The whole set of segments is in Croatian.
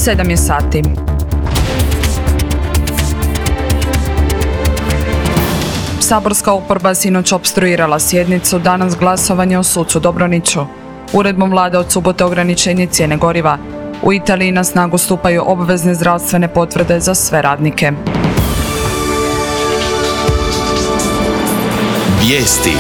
7 je sati. Saborska oporba sinoć opstruirala sjednicu, danas glasovanje o sucu Dobroniću. Uredbom vlade od subote ograničenje cijene goriva. U Italiji na snagu stupaju obvezne zdravstvene potvrde za sve radnike. Vijesti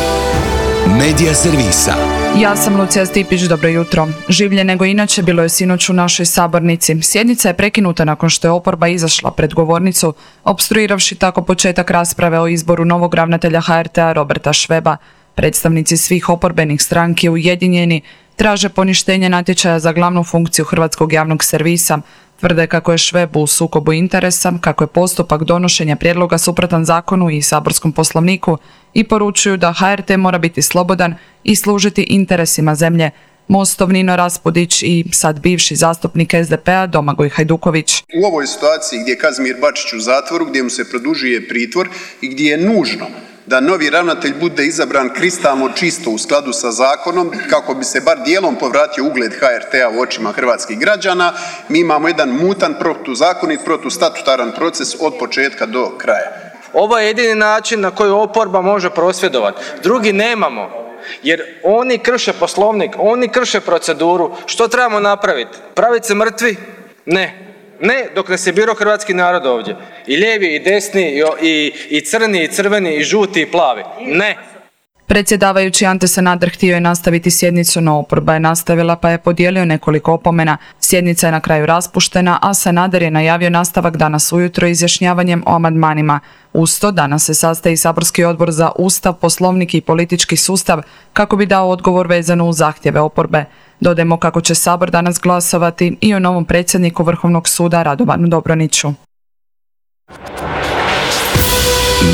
Medija servisa. Ja sam Lucija Stipić, dobro jutro. Življe nego inače bilo je sinoć u našoj sabornici. Sjednica je prekinuta nakon što je oporba izašla pred govornicu, opstruiravši tako početak rasprave o izboru novog ravnatelja HRT-a Roberta Šveba. Predstavnici svih oporbenih stranki ujedinjeni traže poništenje natječaja za glavnu funkciju hrvatskog javnog servisa. Tvrde kako je Šveb u sukobu interesa, kako je postupak donošenja prijedloga suprotan zakonu i saborskom poslovniku i poručuju da HRT mora biti slobodan i služiti interesima zemlje. Mostov Nino Raspudić i sad bivši zastupnik SDP-a Domagoj Hajduković. U ovoj situaciji gdje je Kazimir Bačić u zatvoru, gdje mu se produžuje pritvor i gdje je nužno da novi ravnatelj bude izabran kristalno čisto u skladu sa zakonom kako bi se bar dijelom povratio ugled HRT-a u očima hrvatskih građana, mi imamo jedan mutan, protuzakonit, protustatutaran proces od početka do kraja. Ovo je jedini način na koji oporba može prosvjedovati. Drugi nemamo. Jer oni krše poslovnik, oni krše proceduru. Što trebamo napraviti? Praviti se mrtvi? Ne. Ne, dok nas je birao hrvatski narod ovdje. I lijevi, i desni, i crni, i crveni, i žuti, i plavi. Ne. Predsjedavajući Ante Sanader htio je nastaviti sjednicu, no oporba je nastavila pa je podijelio nekoliko opomena. Sjednica je na kraju raspuštena, a Sanader je najavio nastavak danas ujutro izjašnjavanjem o amandmanima. Uz to danas se sastaje saborski odbor za Ustav, Poslovnik i politički sustav kako bi dao odgovor vezano uz zahtjeve oporbe. Dodajmo kako će Sabor danas glasovati i o novom predsjedniku Vrhovnog suda Radovanu Dobroniću.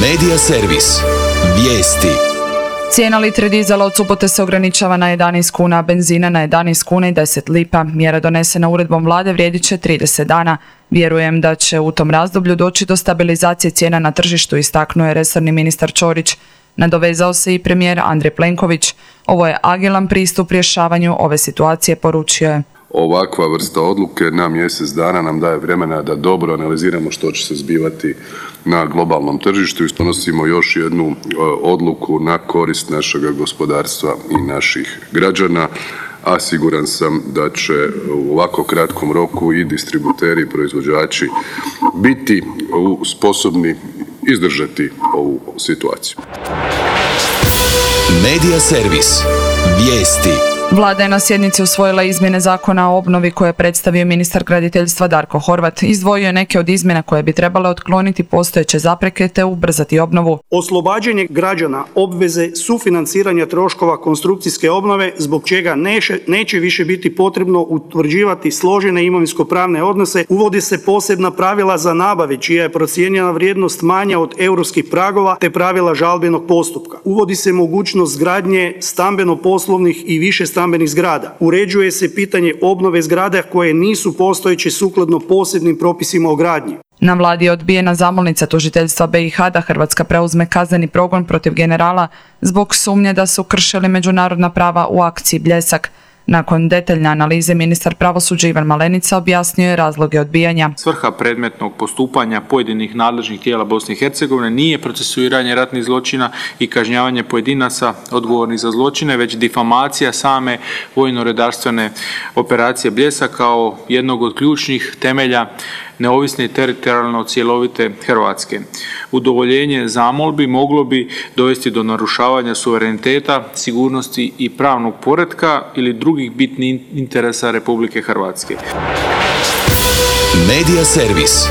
Medija servis. Vijesti. Cijena litre dizela od subote se ograničava na 11 kuna, a benzina na 11 kuna i 10 lipa. Mjera donesena uredbom vlade vrijedit će 30 dana. Vjerujem da će u tom razdoblju doći do stabilizacije cijena na tržištu, istaknuo je resorni ministar Ćorić. Nadovezao se i premijer Andrej Plenković. Ovo je agilan pristup rješavanju ove situacije, poručio je. Ovakva vrsta odluke na mjesec dana nam daje vremena da dobro analiziramo što će se zbivati na globalnom tržištu i donosimo još jednu odluku na korist našega gospodarstva i naših građana, a siguran sam da će u ovako kratkom roku i distributeri i proizvođači biti sposobni izdržati ovu situaciju. Medija servis. Vijesti. Vlada je na sjednici usvojila izmjene zakona o obnovi koje je predstavio ministar graditeljstva Darko Horvat. Izdvojio je neke od izmjena koje bi trebale otkloniti postojeće zapreke te ubrzati obnovu. Oslobađanje građana obveze sufinanciranja troškova konstrukcijske obnove zbog čega neće više biti potrebno utvrđivati složene imovinsko-pravne odnose. Uvodi se posebna pravila za nabave čija je procijenjena vrijednost manja od europskih pragova te pravila žalbenog postupka. Uvodi se mogućnost gradnje stambeno-poslovnih i više stambenih zgrada. Uređuje se pitanje obnove zgrada koje nisu postojeće sukladno posebnim propisima o gradnji. Na vladi je odbijena zamolnica tužiteljstva BiH da Hrvatska preuzme kazneni progon protiv generala zbog sumnje da su kršili međunarodna prava u akciji Bljesak. Nakon detaljne analize ministar pravosuđa Ivan Malenica objasnio je razloge odbijanja. Svrha predmetnog postupanja pojedinih nadležnih tijela Bosne i Hercegovine nije procesuiranje ratnih zločina i kažnjavanje pojedinaca odgovornih za zločine, već difamacija same vojno-redarstvene operacije Bljesak kao jednog od ključnih temelja neovisne i teritorijalno cjelovite Hrvatske. Udovoljenje zamolbi moglo bi dovesti do narušavanja suvereniteta, sigurnosti i pravnog poretka ili drugih bitnih interesa Republike Hrvatske. Medija servis.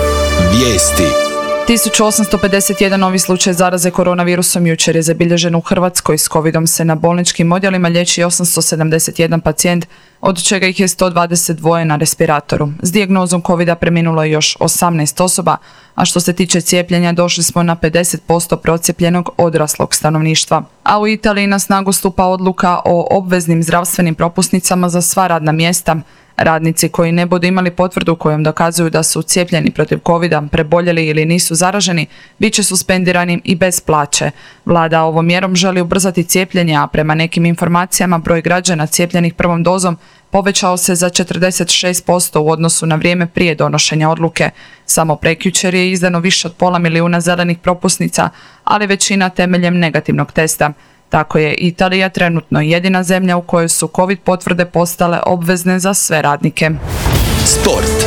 Vijesti. 1851 novi slučaj zaraze koronavirusom jučer je zabilježen u Hrvatskoj. S covidom se na bolničkim odjelima liječi 871 pacijent, od čega ih je 122 na respiratoru. S dijagnozom covida preminulo je još 18 osoba, a što se tiče cijepljenja došli smo na 50% procijepljenog odraslog stanovništva. A u Italiji na snagu stupa odluka o obveznim zdravstvenim propusnicama za sva radna mjesta. Radnici koji ne budu imali potvrdu kojom dokazuju da su cijepljeni protiv covida, preboljeli ili nisu zaraženi, bit će suspendirani i bez plaće. Vlada ovom mjerom želi ubrzati cijepljenje, a prema nekim informacijama broj građana cijepljenih prvom dozom povećao se za 46% u odnosu na vrijeme prije donošenja odluke. Samo prekjučer je izdano više od 500.000 zelenih propusnica, ali većina temeljem negativnog testa. Tako je Italija trenutno jedina zemlja u kojoj su COVID potvrde postale obvezne za sve radnike. Sport.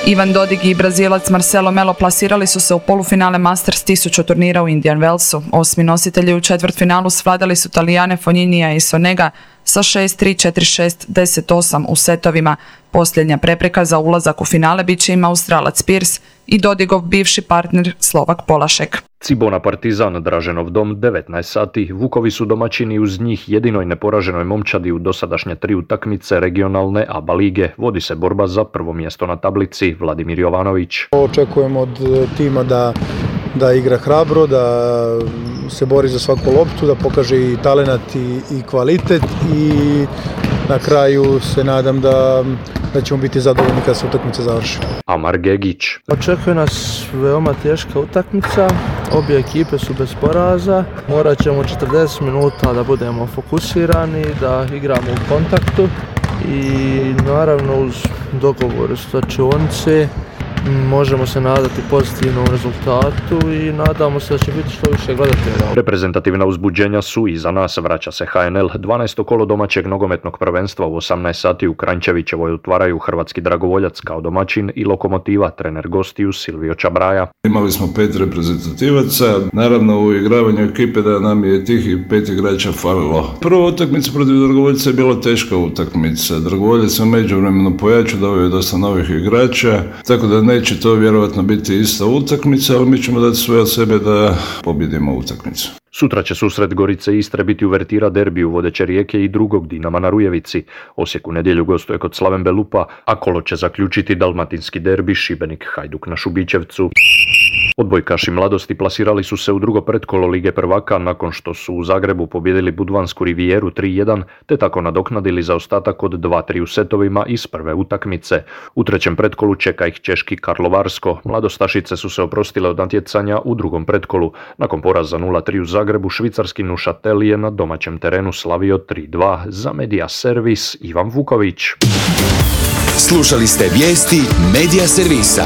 Ivan Dodig i Brazilac Marcelo Melo plasirali su se u polufinale Masters 1000 turnira u Indian Wellsu. Osmi nositelji u četvrtfinalu svladali su Talijane Fogninija i Sonega sa 6-3, 4-6, 10-8 u setovima. Posljednja prepreka za ulazak u finale bit će im Australac Pearce i Dodigov bivši partner Slovak Polašek. Cibona Partizan, Draženov dom, 19 sati. Vukovi su domaćini uz njih jedinoj neporaženoj momčadi u dosadašnje 3 utakmice regionalne ABA lige. Vodi se borba za prvo mjesto na tablici. Vladimir Jovanović. Očekujem od tima da igra hrabro, da se bori za svaku loptu, da pokaže i talenat i kvalitet i na kraju se nadam da ćemo biti zadovoljni kad se utakmica završi. Amar Gegić. Očekuje nas veoma teška utakmica, obje ekipe su bez poraza, morat ćemo 40 minuta da budemo fokusirani, da igramo u kontaktu i naravno uz dogovor s slačionice možemo se nadati pozitivnom rezultatu i nadamo se da će biti što više gledatelja. Reprezentativna uzbuđenja su iza nas. Vraća se HNL. 12. kolo domaćeg nogometnog prvenstva u 18 sati u Kranjčevićevoj otvaraju hrvatski Dragovoljac kao domaćin i Lokomotiva, trener gostiju Silvio Čabraja. Imali smo 5 reprezentativaca. Naravno u igravanju ekipe da nam je tih 5 igrača falilo. Prva utakmica protiv Dragovoljca je bila teška utakmica. Dragovoljac se međuvremeno pojačao, doveo je dosta novih igrača, tako da neće to vjerojatno biti ista utakmica, ali mi ćemo dati sve od sebe da pobjedimo utakmicu. Sutra će susret Gorice i Istre biti uvertira derbiju vodeće Rijeke i drugog Dinama na Rujevici. Osijek u nedjelju gostuje kod Slaven Belupa, a kolo će zaključiti dalmatinski derbi Šibenik Hajduk na Šubićevcu. Odbojkaši Mladosti plasirali su se u drugo pretkolo Lige prvaka nakon što su u Zagrebu pobijedili Budvansku Rivijeru 3-1 te tako nadoknadili zaostatak od 2-3 u setovima iz prve utakmice. U trećem pretkolu čeka ih češki Karlovarsko. Mladostašice su se oprostile od natjecanja u drugom pretkolu. Nakon poraza 0-3 u Zagrebu, švicarski Neuchâtel je na domaćem terenu slavio 3-2. Za Media Servis Ivan Vuković. Slušali ste vijesti Media Servisa.